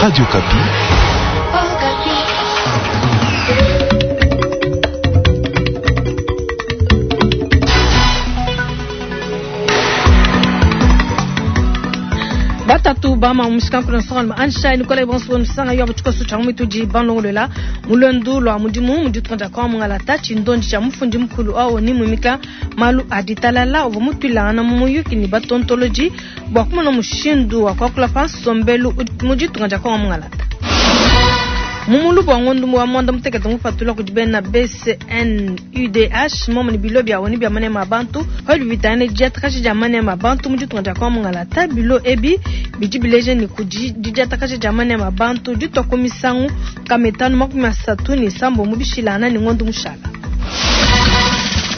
Radio Okapi. Batatu bama mushikanku nsonga ansha Nicolas bonso nsanga yo butshikoso tsha mitudi banlongolola mulwendu lwa mudimu mu ditunga dia kwa mungalata tshindondi tsha mufundi mukulu awo ni mumika malu a ditalala uvua mutuilangana mu muyuki ne batontoloji bua kumona mushindu wa kuakula pa nsombelu mu ditunga dia kwa mungalata. Mu mulubu wa ngondo wa mwanda mutekete mupatula kudi bena BCNUDH momo ne bilo bia oni bia manema a bantu padi bitane diatakaja dia manema a bantu mu ditunga dia kwa mungalata. Bilo ebi bidi bileja ne kudi diatakaja dia manema a bantu ditua ku misangu kametanu 36 mu bishilana ne ngondo mushala.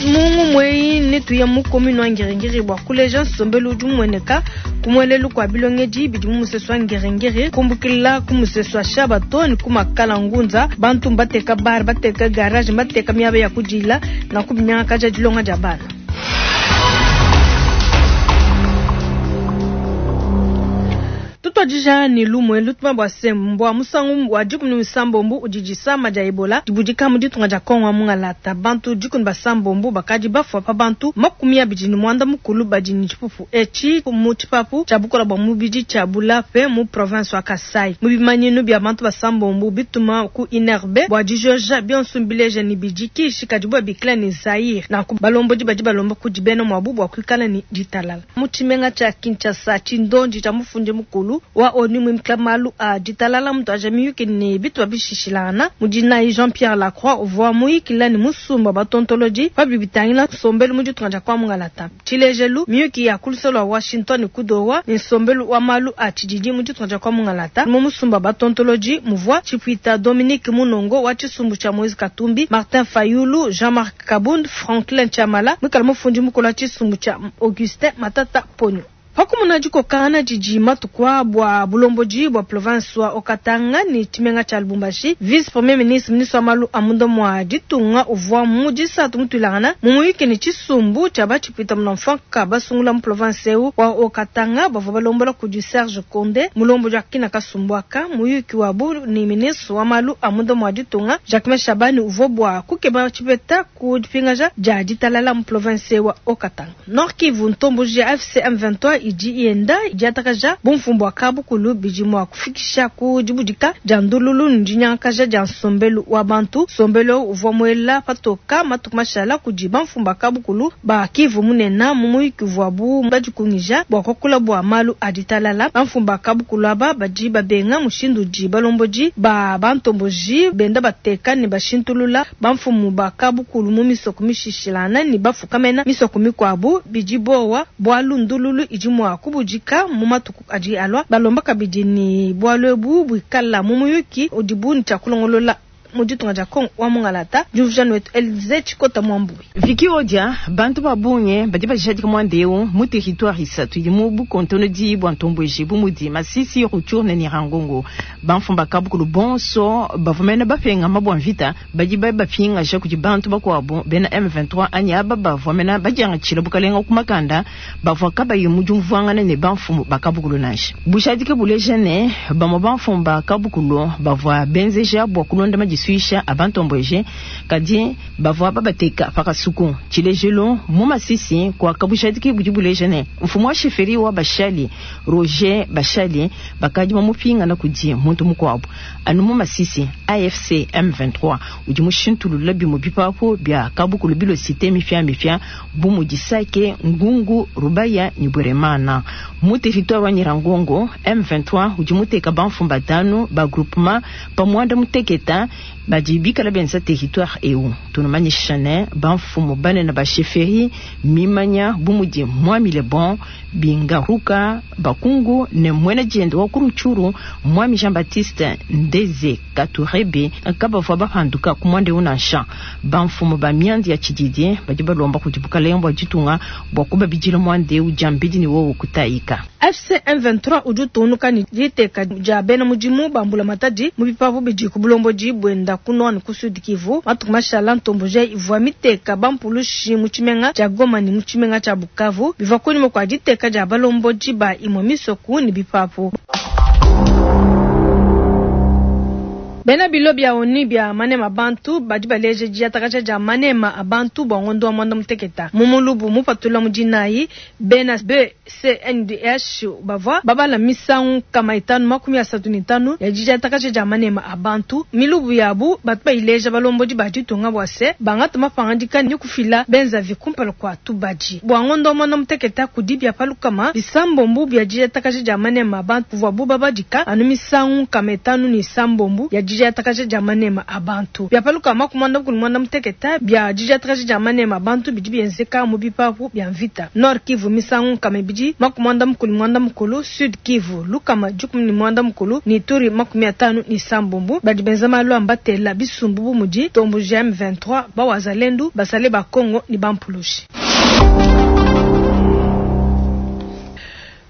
Mungu mweyi netuya mu commune wa Ngiri-Ngiri bua kuleja nsombelu udi umueneka ku muelelu kua bilongedi bidi mu musesu wa Ngiri-Ngiri, kumbukila ku musesu wa Shaba to ne ku Makala Ngunza. Bantu mbateka bar, bateka garage, mbateka miaba ya kudila na kubinyangakaja dilonga dia bana. Tutwadija ni lumwe lutuma bua sembwa musangu wa dikumi ni sambombu udi disama dia Ebola dibudika mu ditunga dia Kongo mungalata. Bantu dikumi ba sambombu bakadi bafua pa bantu 29 badi ni tshipupu eci mu tshipapu tshia bukola bua mubidi tshia Bulape mu province wa Kasai. Mu bimanyinu bia bantu ba sambombu bituma ku INRB bua dijoja bionso mbileja ni bidi kishi kadi bua bikila ni Zaire. Nanku balombodi badi balomba kudi bena muabu bua kuikala ni ditalala. Mu tshimenga tshia Kinshasa tshindondi tshia mufundi mukulu wa ONU mwimika malu a ditalala mtu aja miyuki ni bitu babishishilana mudinayi Jean-Pierre Lacroix uvua muyikila ni musumba batontoloji pabi bitangila nsombelu mu ditunga dia kwa mungalata. Tshilejelu miyuki ya kuluselo wa Washington kudowa ni nsombelu wa malu a tshididi mu ditunga dia kwa mungalata. Mu musumba batontoloji muvua Chipuita Dominique Munongo wa tshisumbu tshia Moise Katumbi, Martin Fayulu, Jean-Marc Kabund, Franklin Chamala mwikala mufundi mukulu wa tshisumbu tshia Augustin Matata Ponyo. Pakumuna dikokana didi matuku bua bulomboji bua province wa Haut-Katanga ni tshimenga tshia Lubumbashi, vice premier ministre ministre wa malu a munda mua ditunga uvua mu disatu mutuilangana mu muyuki ne tshisumbu tshia batshipuita munamfanka basungula mu province eu wa Haut-Katanga bavua balombola kudi Serge Konde mulombodi wa kina kasumbu aka. Muyuki wabu ni ministre wa malu a munda mua ditunga Jacquemain Shabani uvua bua kukeba tshipeta ku dipingaja dia ditalala mu province wa Haut-Katanga. Nord Kivu ntomboji ya AFC M23 idi yenda diatakaja bumfumbu wa kabukulu bidi mua kufikisha ku dibudika dia ndululu ne dinyangakaja dia nsombelu wa bantu. Nsombelu uvua muela patoka matuku mashala kudi bamfumbu ba kabukulu ba Kivu munena mu muyuki uvuabu badikungija bua kuakula bua malu a ditalala. Bamfumbu ba kabukulu aba badi babenga mushindu udi balombodi ba bantomboji benda bateka ne bashintulula bamfumu ba kabukulu mu misoko mishishilana ne bafukamena misoko mikuabu bidi bowa bualu ndululu idi mua kubudika mu matuku adi alua. Balomba kabidi ni bualu ebu buikala mu muyuki udibu ne tshia kulongolola mu ditunga dia Kongo wa mungalata. Diumvuija wetu Elize Tshikota Mwambui. Viki odia bantu babunge badi bajadika mwandeu mu territoire isatu idi mu bukontono di bua ntomboji bu mudi Masisi, Rutshuru ne Nyiragongo. Bamfumba kabukulu bonso bavua mene bapenga mabua mvita badi bapingaja kudi bantu bakuabu bena M23 anyi aba bavua mene badiangatshila bukalenga ku makanda bavua kabayi mu diumvuangana ne bamfumu ba kabukulu nansha. Bujadike buleja ne bamue bamfumu ba kabukulu bavua benzeja bua kulonda madisuisha a bantomboji kadi bavua babateka pakasuku. Tshilejelu mu Masisi kwa kabujadike budi buleja ne mfumu wa sheferi wa Bashali Roger Bashali bakadi bamupingana kudi muntu mukuabu anu mu Masisi. AFC M23 udi mushintulula bimue bipapu bia kabukulu bilo cité mifia mifia bu mudi Sake, Ngungu, Rubaya ni Bweremana. Mu territoire wa Nyiragongo M23 udi muteka bamfumu batanu ba groupement pamwanda muteketa badi bikala benza territoire eu. Tunamanyisha ne bamfumu banene ba chefferie mimanya bu mudi Mwami Lebon Bingaruka Bakungu ne mwene diende wa Kuruchuru Mwami Jean Baptiste Ndeze Katurebe kabavua bapanduka ku mwande unansha. Bamfumu ba miandi ya tshididi badi balomba kudi bukalenga bua ditunga bua kubabidila mwande ujambidi ni wowo kutayika. AFC M23 udi utungunuka ne diteka dia bena mudimu ba mbulamatadi mu bipapu bidi ku bulomboji buenda ku Nord ne ku Sud Kivu. Matuku mashala ntomboji ivua miteka bampulushi mu tshimenga tshia Goma ne mu tshimenga tshia Bukavu bivua kunyima kua diteka dia balombodi ba imue misoku ne bipapu. Bena bilo bia ONU bia manema a bantu badi baleja diatakaja dia manema a bantu bua ngondo wa muanda muteketa mu mulubu mupatula mu dinayi. Bena BCNDH bavua babala misangu 535 ya didiatakaja dia manema a bantu. Milubu yabu batu bayileja balombodi ba ditunga bua se bangata mapangadika ne kufila benzavi kumpala kua tubadi. Bua ngondo wa muanda muteketa kudi bia pa 600 bia didiatakaja dia manema a bantu kuvuabu babadika anu misangu 506 ya didiatakaja dia manema a bantu. Bia pa 68 bia didiatakaja dia manema a bantu bidi bienzeka mu bipapu bia mvita. Nord Kivu misangu 290, Sud Kivu 130 ne Ituri 57. Badi benza malu a mbatela bisumbu bu mudi Tombo GM23, Bawazalendu, Basale ba Congo ne Bampulushi.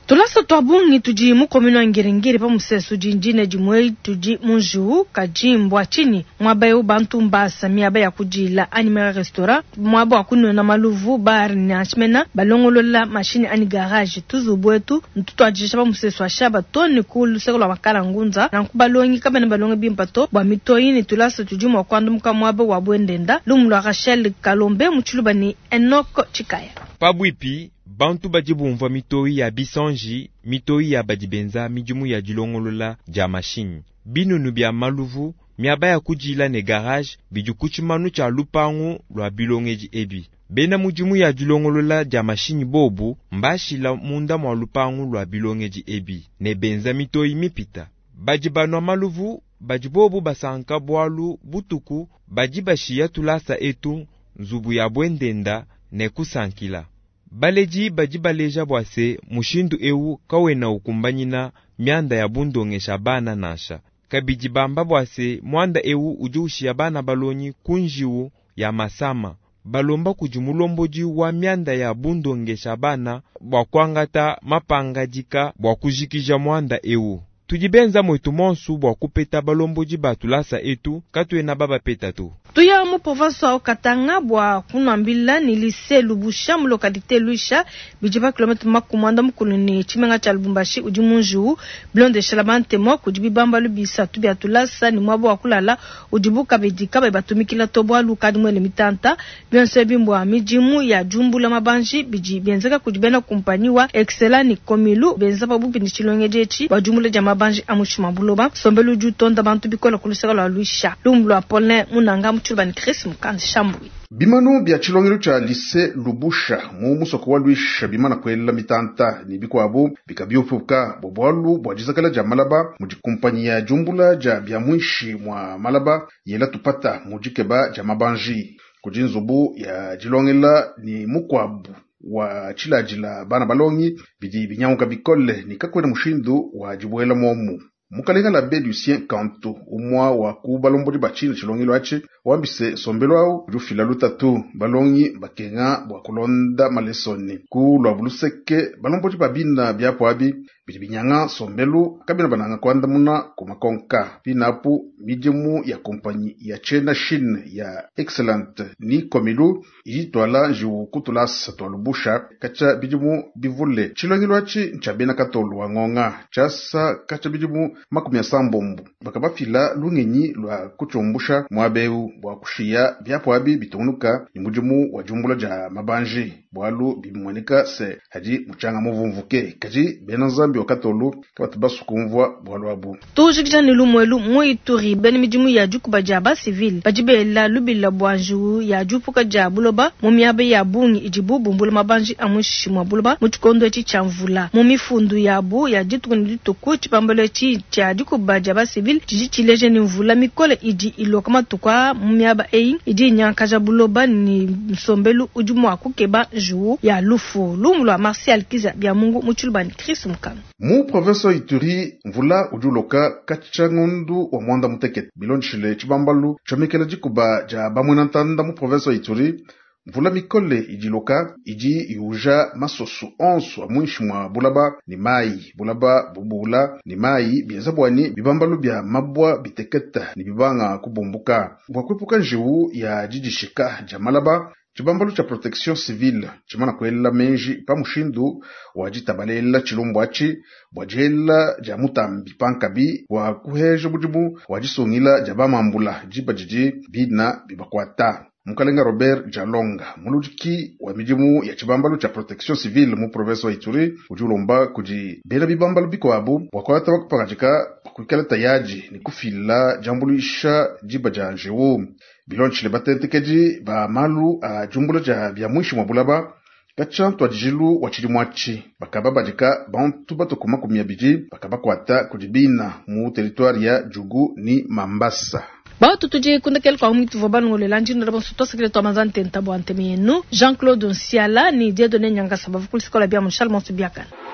Tulasa tua bungi tudi mu commune wa Ngiri-Ngiri pa musesu dindine dimue tudi mu njiwu kadi mbua tshinyi muaba eu bantu mbasa miaba ya kudila anyi mera restaurant muaba wa kunwena maluvu bar ne ashmena balongolola mashini anyi garage tuzubu etu ntutuadisha pa musesu wa shaba to ne ku luseke lua makala ngunza nanku balongi kabena balonga bimpa to bua mitoyi ne tulasa tudi mua kuandumuka muaba wa buendenda. Lumu lua Rachel Kalombe mu tshiluba ne Enoch Tshikaya. Pabwipi bantu badi bumvua mitoyi ya bisanji, mitoyi ya badi benza midimu ya dilongolola dia mashinyi, binunu bia maluvu, miaba ya kudila ne garage bidi ku tshimanu tshia lupangu lua bilongedi ebi. Bena mudimu ya dilongolola dia mashinyi bobu mbashila munda mua lupangu lua bilongedi ebi ne benza mitoyi mipita. Badi banua maluvu badi bobu basanka bualu butuku badi bashiya tulasa etu nzubu ya buendenda ne kusankila. Baledi badi baleja bua se mushindu eu kawena ukumbanyina mianda ya bundongesha bana nansha. Kabidi bamba bua se muanda eu udi ushiya bana balongi ku njiwu ya masama. Balomba kudi mulombodi wa mianda ya bundongesha bana bua kuangata mapangadika bua kujikija muanda eu. Tudi benza mwetu monsu bua kupeta balombodi ba tulasa etu katuena babapeta to. Tuya mu province wa Katanga bua kunambila ni lycée Lubusha mu localité Luisha bidi pa kilomètre 60 ne tshimenga tshia Lubumbashi udi mu njiwu bilondeshela bantemo kudi bibambalu bisatu bia tulasa ni muaba wa kulala udibu kabidi kabayi batumikila to bualu kadi mwele mitanta bionso ebi mbua midimu ya jumbula mabanji bidi bienzeka kudi bena kumpanyi wa Excella ni Komilu benza pabupi ni tshilongedi etshi bua jumbula dia mabanji a mushima buloba sombelu udi utonda bantu bikola ku luseke lua Luisha. Lumbu lua Paulin Munanga mu tshiluba ni Chris Mukandi Shambui. Bimanu bia tshilongelo tshia lycée Lubusha mu musoko wa Luisha bimana kwela mitanta ne bikuabu bikabiupuka bua bualu bua dizakala dia malaba mudi kumpanyi ya jumbula dia bia mwishi mwa malaba yela tupata mu dikeba dia mabanji kudi nzubu ya dilongela ni mukwabu wa tshiladila bana balongi bidi binyanguka bikole ni kakwena mushindu wa dibuela momu. Mukalenga la be Lucien Kanto umwa wa ku balombodi ba tshina tshilongelo atshi wambise sombelo awu udi ufila lutatu balongi bakenga bua kulonda malesoni ku lua buluseke balombodi ba bina biapo abi bidi binyanga sombelu kabina bananga kuandamuna ku makonka binapu midimu ya kompanyi ya tshena Chine ya Excellent ni Komilu idi twala njiwu kutulasa twa Lubusha katsha bidimu bivule tshilongelo atshi ntshia bena katolu wa ngonga tshiasa katsha bidimu 70 bakabafila lungenyi lua kutshumbusha muabeu bua kushiya biapo abi bitungunuka ni mudimu wa jumbula dia mabanji bualu bimueneka se hadi muchanga muvumvuke kadi bena nzambi wa katolu kabatu basukumvua bualu abu. Tujikija ni lumwelu mu Ituri bena midimu ya dikuba dia ba civil badi bela lubila bua njiwu ya diupuka dia buloba mu miaba ya bungi idibu bumbula mabanji a muinshi mua buloba mu tshikondo etshi tshia mvula. Mu mifundu yabu ya dituku ne dituku tshipambalo etshi tshia dikuba dia ba civil tshidi tshileja ni mvula mikole idi iloka matuku a mu miaba eyi idi inyankaja buloba ni nsombelu udi mua kukeba njiwu ya lufu. Lumu lua Martial Kiza bia Mungu mu tshiluba ni Chris Mukanga. Mu province wa Ituri mvula udi uloka katsha ngondu wa mwanda mutekete bilondeshile tshibambalu tshomekela dikuba dia bamwena ntanda mu province wa Ituri mvula mikole idi iloka idi iuja masoso onso a muinshi mua bulaba ni mayi bulaba bubula ni mayi bienza bwani bibambalu bia mabwa biteketa ni bibanga kubumbuka bua kuepuka njiwu ya didishika dia malaba. Tshibambalu tshia protection civile tshimana kuela menji pa mushindu wa ditabalela tshilumbu atshi bua diela dia mutambi pankabi wa kuheja mudimu wa disungila dia bamambula diba didi bina bibakuata. Mukalenga Robert Jalonga, muludiki wa midimu ya tshibambalu tshia protection civile mu province wa Ituri, udi ulomba kudi bena bibambalu bikuabu bua kuata kupangadika kuikala tayari ni kufila diambuluisha diba dia njiwu. Bilondeshile batentekedi ba malu a diumbula dia bia muinshi mua bulaba katshia ntuadijilu wa tshidimu atshi bakababadika bantu batuku 20 bakabakuata kudi bina mu territoire ya Djugu ni Mambasa. Batu tudi kundekele kwa mwitu vwa balongolela ndindu bonso twasakile twa manza ntenta bua ntemi yenu Jean-Claude Nsiala ni Dieudonné Nyangasa bavua ku lisikola bia mu Charles Monsu Biakana.